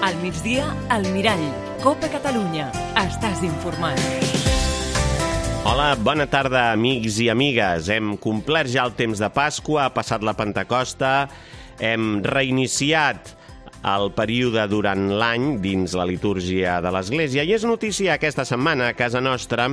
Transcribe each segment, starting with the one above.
Al migdia, al Mirall. Copa Catalunya. Estàs informat. Hola, bona tarda, amics i amigues. Hem complert ja el temps de Pasqua, ha passat la Pentecosta, hem reiniciat el període durant l'any dins la litúrgia de l'Església i és notícia aquesta setmana a casa nostra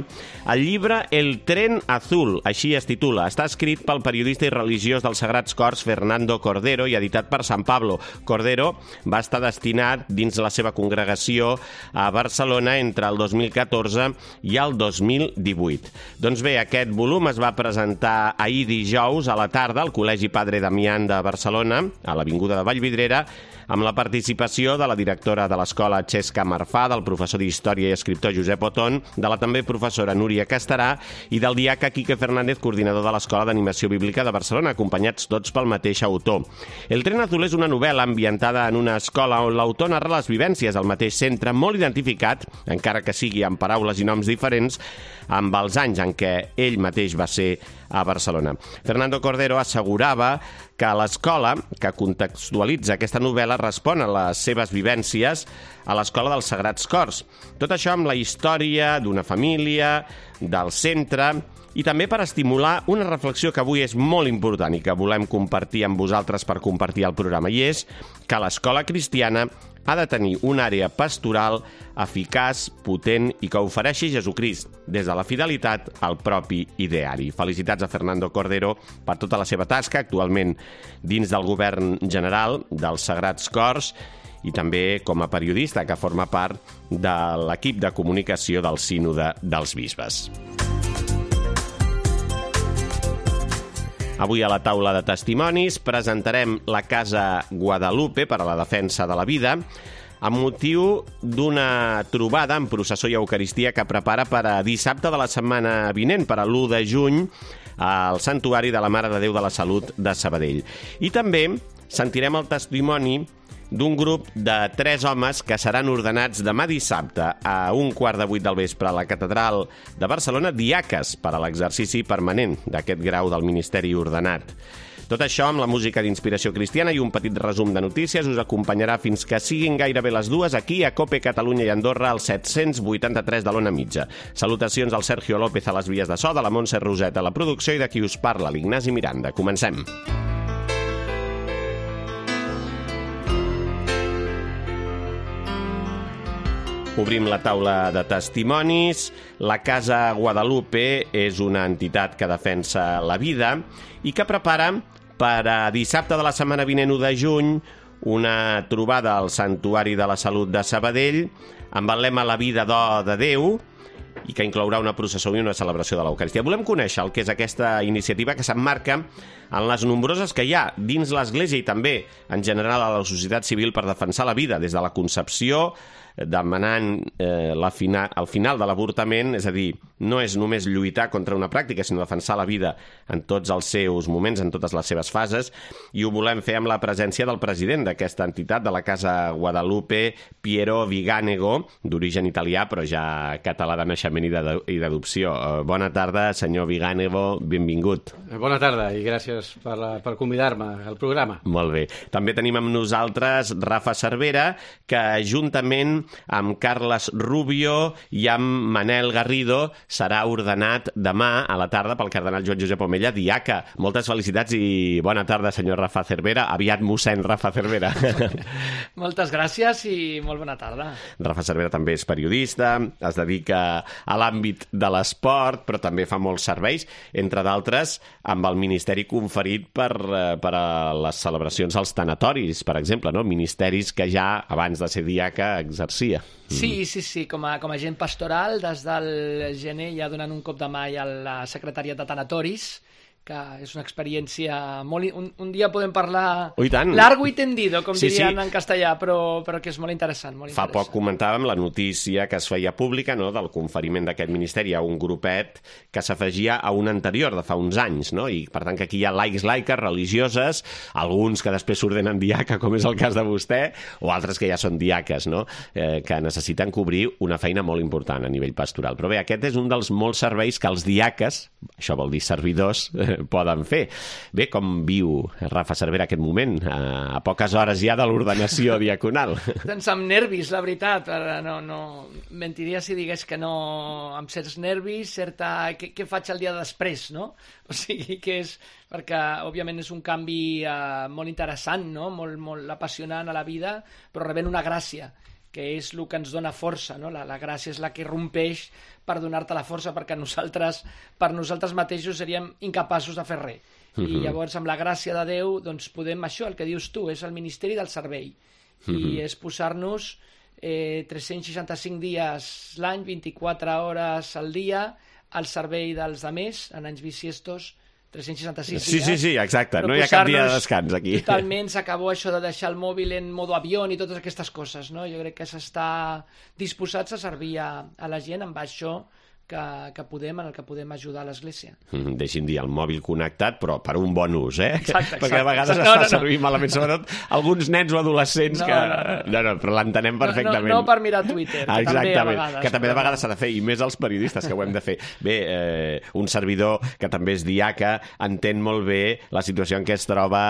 el llibre El tren azul, així es titula. Està escrit pel periodista i religiós dels Sagrats Cors Fernando Cordero i editat per San Pablo. Cordero va estar destinat dins la seva congregació a Barcelona entre el 2014 i el 2018. Doncs bé, aquest volum es va presentar ahir dijous a la tarda al Col·legi Padre Damián de Barcelona, a l'Avinguda de Vallvidrera, amb la participació de la directora de l'escola Xesca Marfà, del professor d'Història i escriptor Josep Otón, de la també professora Núria Castarà i del diaca Quique Fernández, coordinador de l'Escola d'Animació Bíblica de Barcelona, acompanyats tots pel mateix autor. El tren azul és una novel·la ambientada en una escola on l'autor narra les vivències al mateix centre, molt identificat, encara que sigui amb paraules i noms diferents, amb els anys en què ell mateix va ser a Barcelona. Fernando Cordero assegurava que l'escola que contextualitza aquesta novel·la respon a les seves vivències a l'Escola dels Sagrats Cors. Tot això amb la història d'una família, del centre, i també per estimular una reflexió que avui és molt important i que volem compartir amb vosaltres per compartir el programa, i és que l'escola cristiana ha de tenir una àrea pastoral eficaç, potent i que ofereixi Jesucrist des de la fidelitat al propi ideari. Felicitats a Fernando Cordero per tota la seva tasca, actualment dins del govern general dels Sagrats Cors i també com a periodista que forma part de l'equip de comunicació del Sínode dels Bisbes. Avui a la taula de testimonis presentarem la Casa Guadalupe per a la defensa de la vida amb motiu d'una trobada en processó i eucaristia que prepara per a dissabte de la setmana vinent, per a l'1 de juny, al Santuari de la Mare de Déu de la Salut de Sabadell. I també sentirem el testimoni d'un grup de 3 homes que seran ordenats demà dissabte a 7:15 del vespre a la Catedral de Barcelona, diaques per a l'exercici permanent d'aquest grau del ministeri ordenat. Tot això amb la música d'inspiració cristiana i un petit resum de notícies us acompanyarà fins que siguin gairebé les 2 aquí a Cope Catalunya i Andorra al 783 de l'Ona Mitja. Salutacions al Sergio López a les vies de so, de la Montse Roset a la producció i de qui us parla, l'Ignasi Miranda. Comencem. Obrim la taula de testimonis. La Casa Guadalupe és una entitat que defensa la vida i que prepara per a dissabte de la setmana vinent, 1 de juny, una trobada al Santuari de la Salut de Sabadell amb el lema La vida de Déu i que inclourà una processó i una celebració de l'Eucaristia. Volem conèixer el que és aquesta iniciativa que s'emmarca en les nombroses que hi ha dins l'Església i també en general a la societat civil per defensar la vida, des de la concepció, demanant al final de l'avortament, és a dir, no és només lluitar contra una pràctica, sinó defensar la vida en tots els seus moments, en totes les seves fases, i ho volem fer amb la presència del president d'aquesta entitat, de la Casa Guadalupe, Piero Viganego, d'origen italià, però ja català de naixement i d'adopció. Bona tarda, senyor Viganego, benvingut. Bona tarda i gràcies per convidar-me al programa. Molt bé. També tenim amb nosaltres Rafa Cervera, que juntament amb Carles Rubio i amb Manel Garrido serà ordenat demà a la tarda pel cardenal Joan Josep Omella, diaca. Moltes felicitats i bona tarda, senyor Rafa Cervera. Aviat mossèn Rafa Cervera. Moltes gràcies i molt bona tarda. Rafa Cervera també és periodista, es dedica a l'àmbit de l'esport, però també fa molts serveis, entre d'altres amb el ministeri conferit per a les celebracions als tanatoris, per exemple, no? Ministeris que ja, abans de ser diaca, exercia. Sí, com a agent pastoral, des del gener ja donant un cop de mà a la secretària de tanatoris, que és una experiència molt... Un dia podem parlar largo y tendido, com dirien en castellà, però que és molt interessant. Fa poc comentàvem la notícia que es feia pública, no?, del conferiment d'aquest ministeri a un grupet que s'afegia a un anterior de fa uns anys, no? I per tant que aquí hi ha laics, laiques, religioses, alguns que després s'ordenen diaca, com és el cas de vostè, o altres que ja són diaques, no?, que necessiten cobrir una feina molt important a nivell pastoral. Però bé, aquest és un dels molts serveis que els diaques, això vol dir servidors, poden fer. Bé, com viu Rafa Cervera aquest moment, a poques hores ja de l'ordenació diaconal? Doncs amb nervis, la veritat. No, mentiria si digués que no, amb certs nervis, què faig el dia després, no? O sigui que és, perquè òbviament és un canvi molt interessant, no? Molt apassionant a la vida, però rebent una gràcia, que és el que ens dona força, no? La gràcia és la que rompeix per donar-te la força, perquè per nosaltres mateixos seríem incapaços de fer res. I llavors, amb la gràcia de Déu, doncs podem, això, el que dius tu, és el ministeri del servei. I és posar-nos 365 dies l'any, 24 hores al dia, al servei dels altres, en anys bisiestos, 366 dies. Sí, exacte. No hi ha cap dia de descans aquí. Totalment s'acabó això de deixar el mòbil en modo avió i totes aquestes coses, no? Jo crec que s'està disposats a servir a la gent amb això que podem, en el que podem ajudar a l'Església. Deixin dir, el mòbil connectat, però per un bon ús, eh? Exacte. Perquè a vegades es fa servir malament, sobretot alguns nens o adolescents que... No, però l'entenem perfectament. No per mirar Twitter, que també a vegades. Que també de vegades s'ha de fer, i més els periodistes, que ho hem de fer. Bé, un servidor que també és diaca entén molt bé la situació en què es troba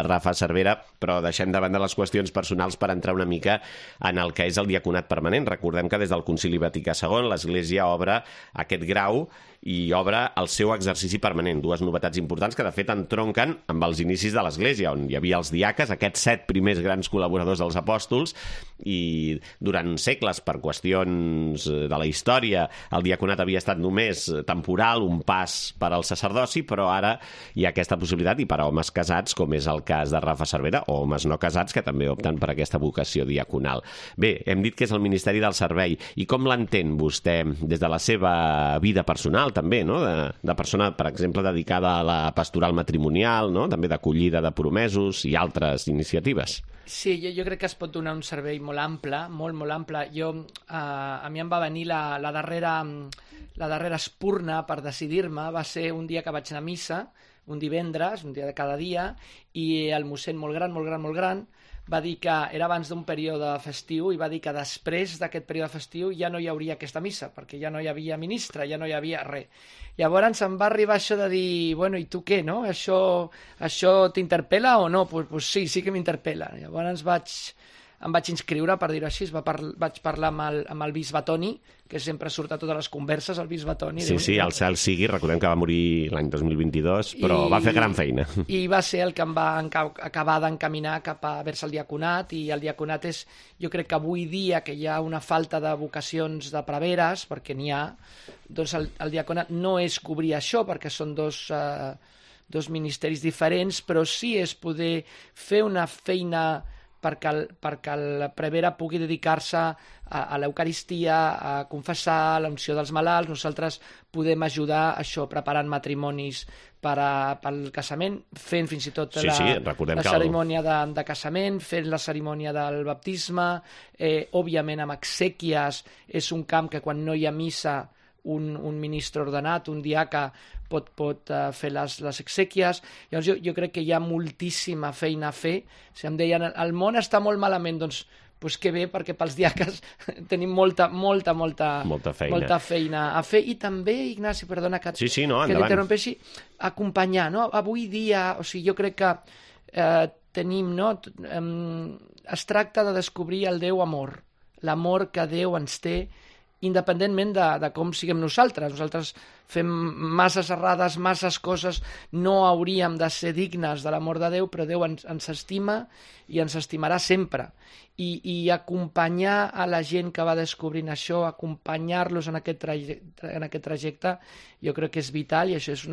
Rafa Cervera, però deixem de banda les qüestions personals per entrar una mica en el que és el diaconat permanent. Recordem que des del Concili Vaticà II l'Església obre aquest grau i obre el seu exercici permanent. Dues novetats importants que, de fet, entronquen amb els inicis de l'Església, on hi havia els diaques, aquests 7 primers grans col·laboradors dels apòstols, i durant segles, per qüestions de la història, el diaconat havia estat només temporal, un pas per al sacerdoci, però ara hi ha aquesta possibilitat, i per a homes casats, com és el cas de Rafa Cervera, o homes no casats, que també opten per aquesta vocació diaconal. Bé, hem dit que és el Ministeri del Servei, i com l'entén vostè des de la seva vida personal, també, no? De persona, per exemple, dedicada a la pastoral matrimonial, no? També d'acollida de promesos i altres iniciatives. Sí, jo crec que es pot donar un servei molt ample, molt ample. A mi em va venir la darrera espurna per decidir-me, va ser un dia que vaig anar a missa, un divendres, un dia de cada dia, i el mossèn molt gran, va dir que era abans d'un període festiu i va dir que després d'aquest període festiu ja no hi hauria aquesta missa, perquè ja no hi havia ministre, ja no hi havia res. Llavors em va arribar això de dir, bueno, i tu què, no? Això t'interpel·la o no? Pues sí que m'interpel·la. Llavors em vaig inscriure, per dir-ho així, vaig parlar amb el bisbe Toni, que sempre surt a totes les converses, el bisbe Toni. Sí, el cel sigui, recordem que va morir l'any 2022, però va fer gran feina. I va ser el que em va acabar d'encaminar cap a vers el diaconat, i el diaconat és, jo crec que avui dia que hi ha una falta de vocacions de preveres, perquè n'hi ha, doncs el diaconat no és cobrir això, perquè són dos ministeris diferents, però sí és poder fer una feina perquè el prevere pugui dedicar-se a l'Eucaristia, a confessar, a l'unció dels malalts. Nosaltres podem ajudar això, preparant matrimonis pel casament, fent fins i tot la cerimònia de casament, fent la cerimònia del baptisme, òbviament amb exèquies. És un camp que quan no hi ha missa un ministre ordenat, un diaca, pot fer les exèquies. Llavors jo crec que hi ha moltíssima feina a fer. Si em deien, el món està molt malament, doncs que bé, perquè pels diaques tenim molta feina a fer. I també, Ignasi, perdona que l'interrompeixi, acompanyar, no? Avui dia, o sigui, jo crec que tenim, no? Es tracta de descobrir el Déu amor, l'amor que Déu ens té, independentment de com siguem nosaltres. Nosaltres fem masses errades, masses coses, no hauríem de ser dignes de l'amor de Déu, però Déu ens estima i ens estimarà sempre. I acompanyar a la gent que va descobrint això, acompanyar-los en aquest trajecte, jo crec que és vital, i això és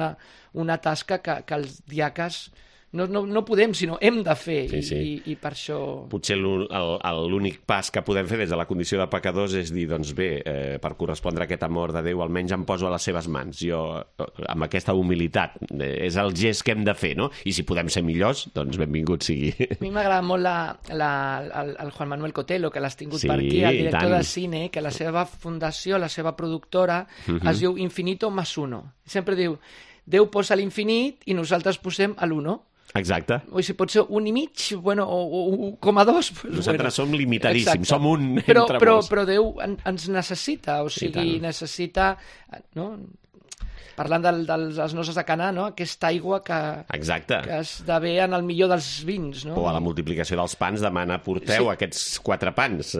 una tasca que els diaques no podem, sinó hem de fer. I per això... Potser l'únic pas que podem fer des de la condició de pecadors és dir, doncs bé, per correspondre a aquest amor de Déu, almenys em poso a les seves mans. Jo, amb aquesta humilitat, és el gest que hem de fer, no? I si podem ser millors, doncs benvingut sigui. A mi m'agrada molt el Juan Manuel Cotelo, que l'has tingut per aquí, el director de cine, que la seva fundació, la seva productora, es diu Infinito más uno. Sempre diu, Déu posa l'infinit i nosaltres posem l'uno. Exacte. O si pot ser 1,5, bueno, o 1,2. Nosaltres som limitadíssims, som un entre molts. Però Déu ens necessita, o sigui, necessita... No? parlant de les noces de Canà, no? Aquesta aigua que esdevé en el millor dels vins, no? O a la multiplicació dels pans demana porteu aquests 4 pans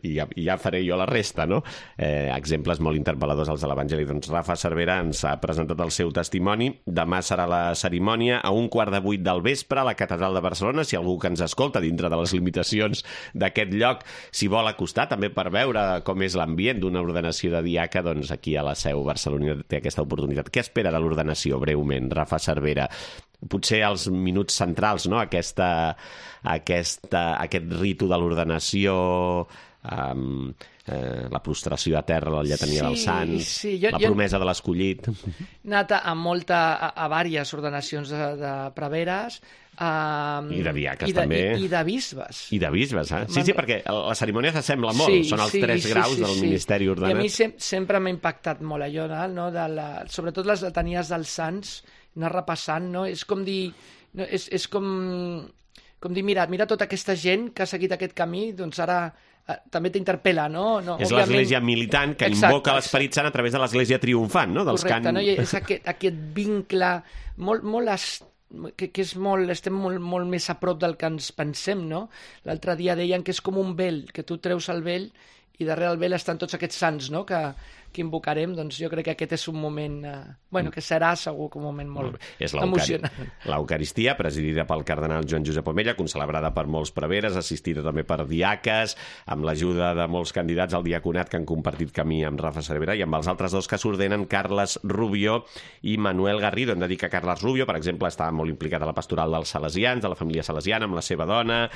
i ja faré jo la resta, no? Exemples molt interpel·ladors als de l'Evangeli. Doncs Rafa Cervera ens ha presentat el seu testimoni. Demà serà la cerimònia a 7:15 del vespre a la Catedral de Barcelona. Si algú que ens escolta dintre de les limitacions d'aquest lloc s'hi vol acostar també per veure com és l'ambient d'una ordenació de diaca, doncs aquí a la Seu Barcelona té aquesta oportunitat. Què espera de l'ordenació, breument, Rafa Cervera? Potser els minuts centrals, no? Aquest ritu de l'ordenació, la prostració a terra, la lletania dels sants, la promesa de l'escollit. He anat a diverses ordenacions de preveres, i de diaques també. I de bisbes. I de bisbes, eh? Sí, perquè la cerimònia s'assembla molt. Són els 3 graus del ministeri ordenat. I a mi sempre m'ha impactat molt allò, no? Sobretot les letanies dels sants, anar repassant, no? És com dir... És com dir, mira tota aquesta gent que ha seguit aquest camí, doncs ara també t'interpel·la, no? És l'església militant que invoca l'Esperit Sant a través de l'església triomfant, no? Correcte, no? I és aquest vincle molt que és estem molt més a prop del que ens pensem, no? L'altre dia deien que és com un vel, que tu treus el vel i darrere el vel estan tots aquests sants, no?, que invocarem. Doncs jo crec que aquest és un moment, que serà segur que un moment molt emocionant. L'Eucaristia, presidida pel cardenal Joan Josep Omella, concelebrada per molts preveres, assistida també per diaques, amb l'ajuda de molts candidats al diaconat que han compartit camí amb Rafa Cervera i amb els altres 2 que s'ordenen, Carles Rubio i Manuel Garrido. Hem de dir que Carles Rubio, per exemple, estava molt implicat a la pastoral dels salesians, de la família salesiana, amb la seva dona,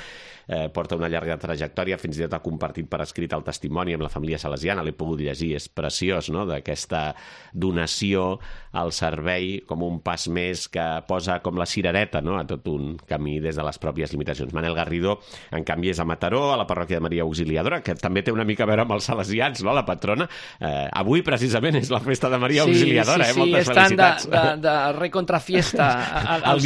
porta una llarga trajectòria, fins i tot ha compartit per escrit el testimoni amb la família salesiana, l'he pogut llegir, és preciós, no?, d'aquesta donació al servei com un pas més que posa com la cirereta, no?, a tot un camí des de les pròpies limitacions. Manel Garrido, en canvi, és a Mataró, a la parròquia de Maria Auxiliadora, que també té una mica a veure amb els salesians, no?, la patrona. Avui, precisament, és la festa de Maria Auxiliadora, moltes felicitats. Estan de recontrafiesta, els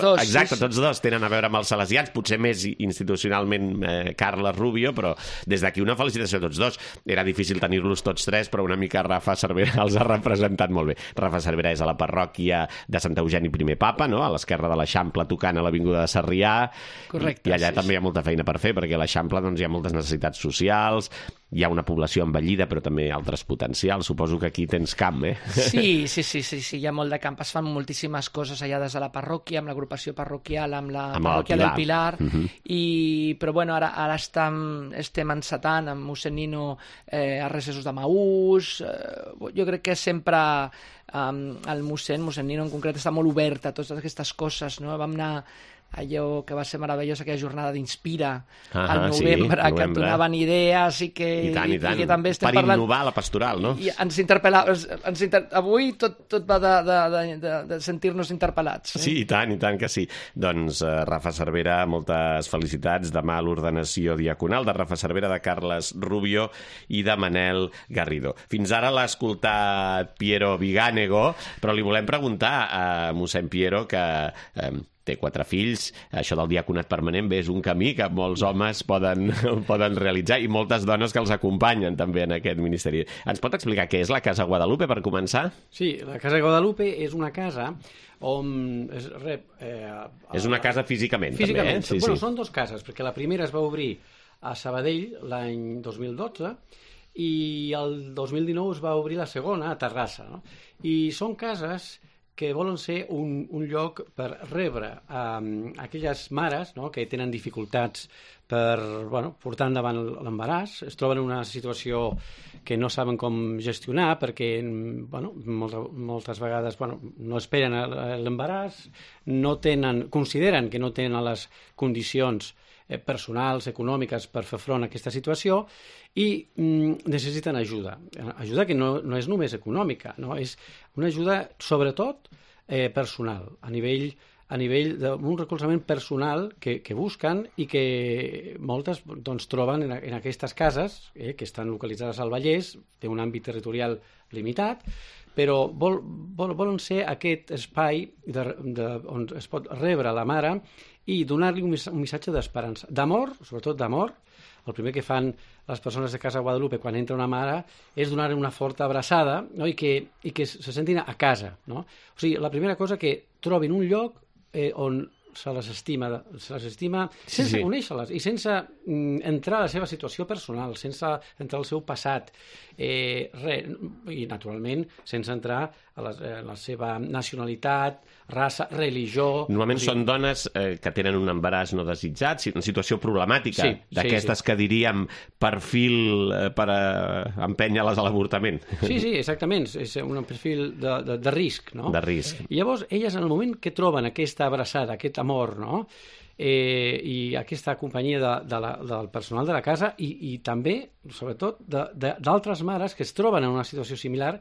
dos. Exacte, tots 2 tenen a veure amb els salesians, potser més institucionalment Carles Rubio, però des d'aquí una felicitació a tots 2. Era difícil tenir-los tots 3, però una mica Rafa Cervera els ha representat molt bé. Rafa Cervera és a la parròquia de Sant Eugeni I Papa, no?, a l'esquerra de l'Eixample, tocant a l'avinguda de Sarrià. Correcte. I allà també hi ha molta feina per fer, perquè a l'Eixample hi ha moltes necessitats socials, hi ha una població envellida, però també altres potencials. Suposo que aquí tens camp, eh? Sí, hi ha molt de camp. Es fan moltíssimes coses allà des de la parròquia, amb l'agrupació parroquial, amb la parròquia del Pilar, però bueno, ara estem encetant amb mossèn Nino a recessos de Maús. Jo crec que sempre el mossèn Nino en concret està molt obert a totes aquestes coses, no? Vam anar allò que va ser meravellós, aquella jornada d'Inspira al novembre, que et donaven idees i que també estem parlant... Per innovar la pastoral, no? I ens interpel·lava... Avui tot va de sentir-nos interpel·lats. Sí, i tant que sí. Doncs Rafa Cervera, moltes felicitats. Demà l'ordenació diaconal de Rafa Cervera, de Carles Rubio i de Manel Garrido. Fins ara l'ha escoltat Piero Viganego, però li volem preguntar a mossèn Piero, que té 4 fills, això del diaconat permanent és un camí que molts homes poden realitzar i moltes dones que els acompanyen també en aquest ministeri. Ens pot explicar què és la Casa Guadalupe, per començar? Sí, la Casa Guadalupe és una casa on és una casa físicament. També, eh? Bueno, són 2 cases, perquè la primera es va obrir a Sabadell l'any 2012 i el 2019 es va obrir la segona a Terrassa, no? I són cases que volen ser un lloc per rebre aquelles mares, no?, que tenen dificultats per portar endavant l'embaràs, es troben en una situació que no saben com gestionar perquè moltes vegades no esperen l'embaràs, consideren que no tenen les condicions personals, econòmiques per fer front a aquesta situació i necessiten ajuda que no és només econòmica, no? És una ajuda sobretot personal, a nivell d'un recolzament personal que busquen i que moltes troben en aquestes cases que estan localitzades al Vallès, té un àmbit territorial limitat, però volen ser aquest espai on es pot rebre la mare i donar-li un missatge d'esperança, d'amor, sobretot d'amor. El primer que fan les persones de Casa Guadalupe quan entra una mare és donar una forta abraçada, no? I que se sentin a casa. No? O sigui, la primera cosa que trobin un lloc on se les estima sense conèixer-les i sense entrar a la seva situació personal, sense entrar al seu passat, i naturalment sense entrar a la seva nacionalitat, raça, religió... Normalment són dones que tenen un embaràs no desitjat, una situació problemàtica, d'aquestes que diríem perfil per empènyer-les a l'avortament. Sí, exactament, és un perfil de risc, no? De risc. I llavors, elles, en el moment que troben aquesta abraçada, aquest amor, no?, i aquesta companyia del personal de la casa i també, sobretot, d'altres mares que es troben en una situació similar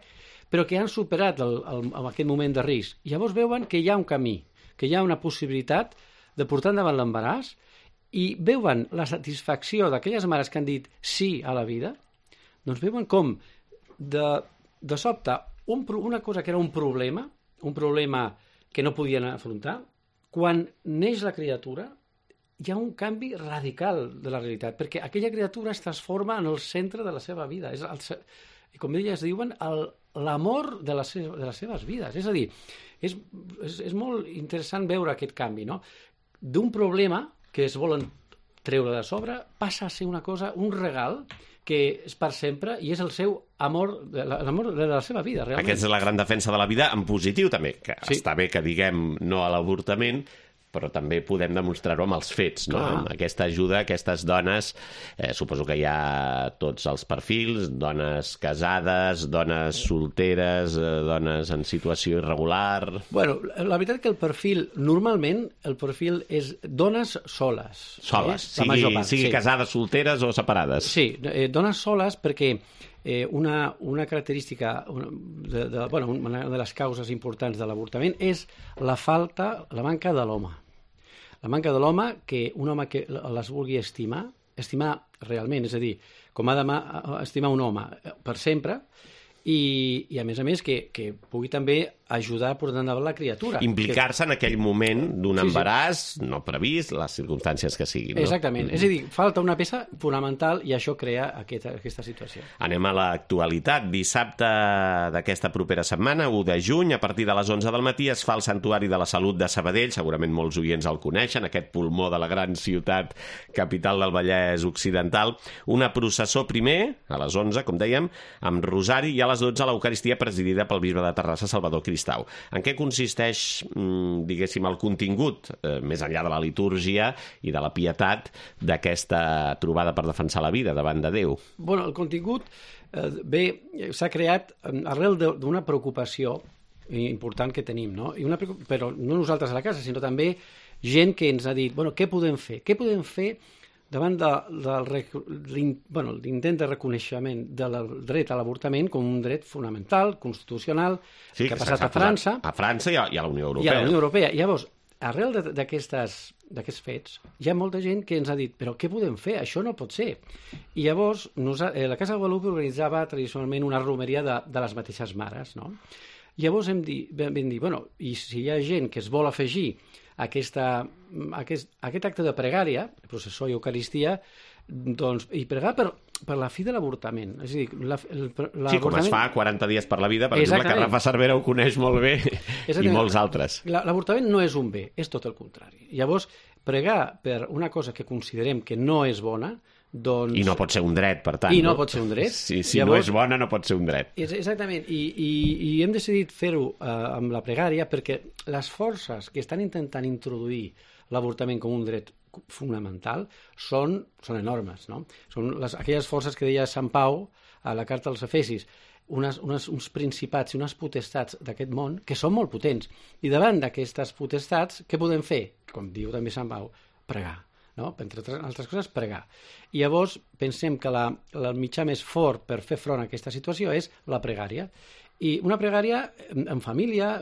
però que han superat aquest moment de risc. Llavors veuen que hi ha un camí, que hi ha una possibilitat de portar endavant l'embaràs i veuen la satisfacció d'aquelles mares que han dit sí a la vida, doncs veuen com de sobte una cosa que era un problema que no podien afrontar, quan neix la criatura hi ha un canvi radical de la realitat, perquè aquella criatura es transforma en el centre de la seva vida. I com elles diuen, l'amor de les seves vides. És a dir, és molt interessant veure aquest canvi, no? D'un problema que es volen treure de sobre passa a ser una cosa, un regal que és per sempre i és el seu amor, l'amor de la seva vida, realment. Aquesta és la gran defensa de la vida en positiu, també, que està bé que diguem no a l'avortament, però també podem demostrar-ho amb els fets, no? Amb aquesta ajuda, aquestes dones, suposo que hi ha tots els perfils, dones casades, dones solteres, dones en situació irregular... Bueno, la veritat que normalment el perfil és dones soles. Soles, sigui casades, solteres o separades. Sí, dones soles perquè una característica, una de les causes importants de l'avortament és la manca de l'home. La manca de l'home, que un home que les vulgui estimar realment, és a dir, com ha d'estimar un home per sempre, i a més que pugui també ajudar a portar endavant la criatura. Implicar-se en aquell moment d'un embaràs no previst, les circumstàncies que siguin. No? Exactament. És a dir, falta una peça fonamental i això crea aquesta situació. Anem a l'actualitat. Dissabte d'aquesta propera setmana, 1 de juny, a partir de les 11 del matí, es fa el Santuari de la Salut de Sabadell. Segurament molts oients el coneixen, aquest pulmó de la gran ciutat capital del Vallès Occidental. Una processó primer, a les 11, com dèiem, amb rosari, i a les 12 l'Eucaristia presidida pel bisbe de Terrassa, Salvador Cristau. En què consisteix, diguéssim, el contingut, més enllà de la litúrgia i de la pietat, d'aquesta trobada per defensar la vida davant de Déu? Bueno, el contingut s'ha creat arrel d'una preocupació important que tenim, no? Però no nosaltres a la casa, sinó també gent que ens ha dit, què podem fer? Què podem fer davant l'intent de reconeixement del dret a l'avortament com un dret fonamental, constitucional, que ha passat a França. A França i a la Unió Europea. I a la Unió Europea. Llavors, arrel d'aquests fets, hi ha molta gent que ens ha dit, però què podem fer? Això no pot ser. I llavors, la Casa Guadalupe organitzava tradicionalment una romeria de les mateixes mares, no? Llavors vam dir, i si hi ha gent que es vol afegir aquest acte de pregària, processó i eucaristia, doncs, i pregar per la fi de l'avortament. És a dir, com es fa 40 dies per la vida, per exemple, que Rafa Cervera ho coneix molt bé, i molts altres. L'avortament no és un bé, és tot el contrari. Llavors, pregar per una cosa que considerem que no és bona, doncs... I no pot ser un dret, per tant. I no pot ser un dret. Si llavors, no és bona, no pot ser un dret. Exactament. I hem decidit fer-ho amb la pregària perquè les forces que estan intentant introduir l'avortament com un dret fonamental són enormes, no? Són aquelles forces que deia Sant Pau a la carta als Efesis, uns principats i unes potestats d'aquest món que són molt potents. I davant d'aquestes potestats, què podem fer? Com diu també Sant Pau, pregar. No? Entre altres coses, pregar. I llavors pensem que el mitjà més fort per fer front a aquesta situació és la pregària. I una pregària en família,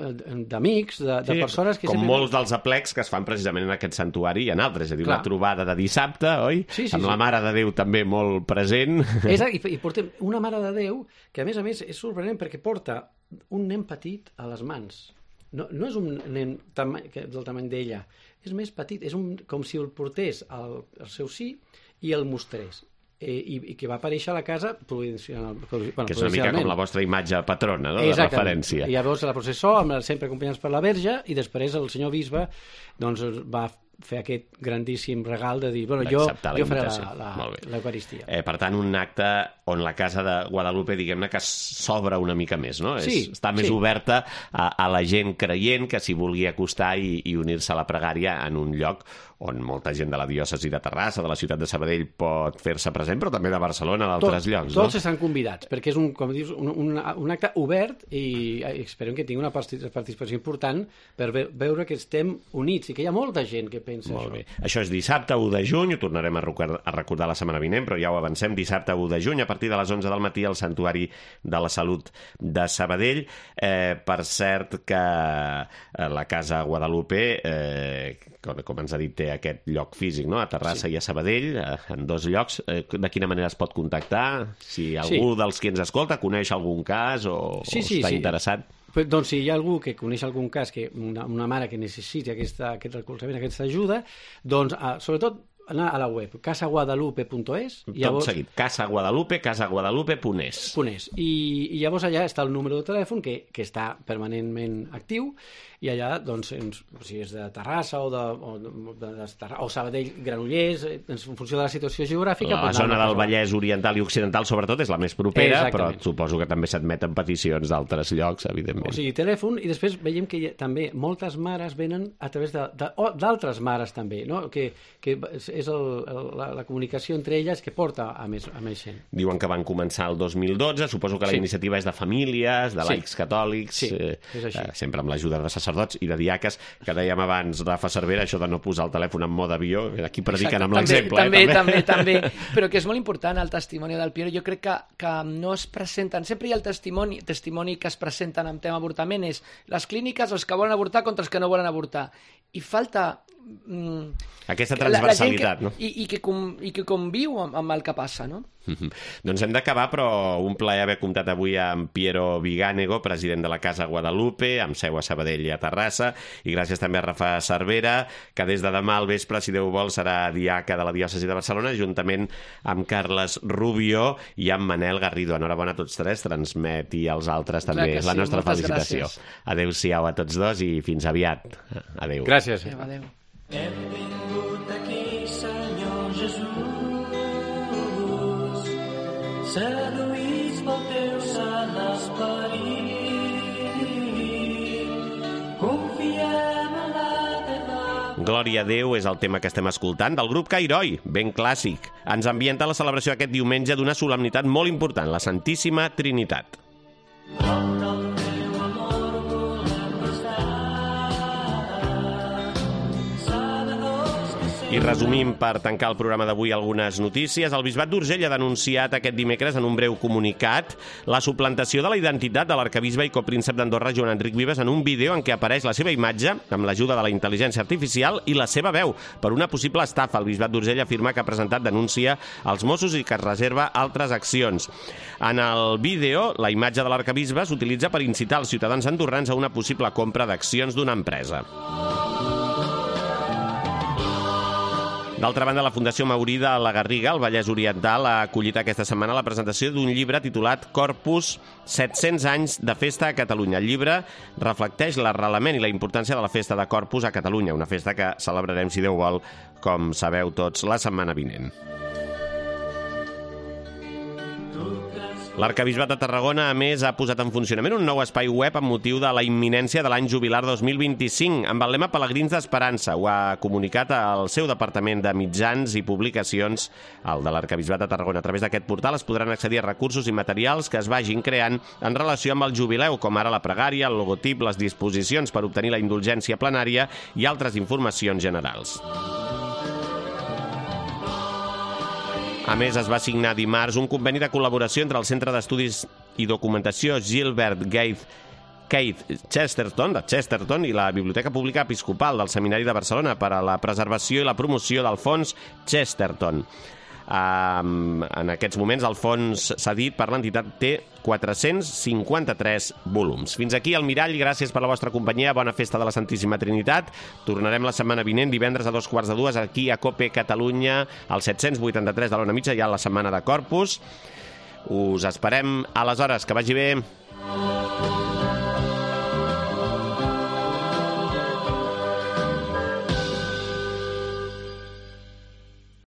d'amics, de persones que... Com molts dels aplecs que es fan precisament en aquest santuari i en altres. És a dir, una trobada de dissabte, oi? Amb la Mare de Déu també molt present. I portem una Mare de Déu que, a més, és sorprenent perquè porta un nen petit a les mans. No és un nen del tamany d'ella, és més petit, és com si el portés al seu sí i el mostrés. I que va aparèixer a la casa providencialment. Que és una mica com la vostra imatge patrona, no? De referència. I llavors la processó, sempre acompanyats per la Verge, i després el senyor bisbe doncs, va fer aquest grandíssim regal de dir, jo faré l'Eucaristia. Per tant, un acte on la casa de Guadalupe, diguem-ne, que s'obre una mica més, no? Està més oberta a la gent creient que s'hi vulgui acostar i unir-se a la pregària en un lloc on molta gent de la diòcesi de Terrassa, de la ciutat de Sabadell, pot fer-se present, però també de Barcelona, d'altres llocs, no? Tots estan convidats, perquè és com dius, un acte obert i esperem que tingui una participació important per veure que estem units i que hi ha molta gent que pensa molt bé. Això és dissabte 1 de juny, ho tornarem a recordar la setmana vinent, però ja ho avancem, dissabte 1 de juny, a partir de les 11 del matí al Santuari de la Salut de Sabadell. Per cert que la Casa Guadalupe, com ens ha dit, té aquest lloc físic, no? A Terrassa i a Sabadell, en 2 llocs. De quina manera es pot contactar? Si algú dels que ens escolta coneix algun cas o està interessat? Doncs si hi ha algú que coneix algun cas, una mare que necessiti aquest recolzament, aquesta ajuda, doncs sobretot anar a la web casaguadalupe.es. Tot seguit, casaguadalupe.es. I llavors allà està el número de telèfon que està permanentment actiu, i allà, doncs, si és de Terrassa o Sabadell, Granollers, en funció de la situació geogràfica... La zona del Vallès Oriental i Occidental, sobretot, és la més propera, però suposo que també s'admeten peticions d'altres llocs, evidentment. O sigui, telèfon, i després veiem que també moltes mares venen a través d'altres mares, també, no? Que és la comunicació entre elles que porta a més gent. Diuen que van començar el 2012, suposo que la iniciativa és de famílies, de laics catòlics, sempre amb l'ajuda de sacerdots i de diaques, que dèiem abans, Rafa Cervera, això de no posar el telèfon en mode avió, aquí prediquen amb l'exemple. També, però que és molt important el testimoni del Piero. Jo crec que no es presenten, sempre hi ha el testimoni que es presenten amb tema avortament, és les clíniques, els que volen avortar contra els que no volen avortar. I falta aquesta transversalitat, no? I que conviu amb el que passa, no? Doncs hem d'acabar, però un plaer haver comptat avui amb Piero Viganego, president de la Casa Guadalupe, amb seu a Sabadell i a Terrassa, i gràcies també a Rafa Cervera, que des de demà al vespre, si Déu vol, serà diaca de la diòcesi de Barcelona, juntament amb Carles Rubio i amb Manel Garrido. Enhorabona a tots 3, transmeti als altres també la nostra felicitació. Adéu-siau a tots 2 i fins aviat. Adéu. Gràcies. Adéu. Hem vingut aquí, Senyor Jesús, seduïts pel teu sant esperit, confiem en la teva... Glòria a Déu és el tema que estem escoltant del grup Cairoi, ben clàssic. Ens ambienta la celebració aquest diumenge d'una solemnitat molt important, la Santíssima Trinitat. I resumim per tancar el programa d'avui algunes notícies. El Bisbat d'Urgell ha denunciat aquest dimecres en un breu comunicat la suplantació de la identitat de l'arcabisbe i copríncep d'Andorra, Joan Enric Vives, en un vídeo en què apareix la seva imatge amb l'ajuda de la intel·ligència artificial i la seva veu per una possible estafa. El Bisbat d'Urgell afirma que ha presentat denúncia als Mossos i que es reserva altres accions. En el vídeo, la imatge de l'arcabisbe s'utilitza per incitar els ciutadans andorrans a una possible compra d'accions d'una empresa. D'altra banda, la Fundació Maurí de la Garriga, al Vallès Oriental, ha acollit aquesta setmana la presentació d'un llibre titulat Corpus, 700 anys de festa a Catalunya. El llibre reflecteix l'arrelament i la importància de la festa de Corpus a Catalunya, una festa que celebrarem, si Déu vol, com sabeu tots, la setmana vinent. L'Arquebisbat de Tarragona, a més, ha posat en funcionament un nou espai web amb motiu de la imminència de l'any jubilar 2025, amb el lema Pelegrins d'Esperança. Ho ha comunicat al seu departament de mitjans i publicacions, el de l'Arquebisbat de Tarragona. A través d'aquest portal es podran accedir a recursos i materials que es vagin creant en relació amb el jubileu, com ara la pregària, el logotip, les disposicions per obtenir la indulgència plenària i altres informacions generals. A més, es va signar dimarts un conveni de col·laboració entre el Centre d'Estudis i Documentació Gilbert Keith Chesterton, de Chesterton, i la Biblioteca Pública Episcopal del Seminari de Barcelona per a la preservació i la promoció del fons Chesterton. En aquests moments el fons cedit per l'entitat té 453 volums. Fins aquí el Mirall, gràcies per la vostra companyia, bona festa de la Santíssima Trinitat. Tornarem la setmana vinent, divendres a 2:45, aquí a COPE Catalunya, al 783 de l'Ona Mitja, ja la setmana de Corpus. Us esperem aleshores, que vagi bé.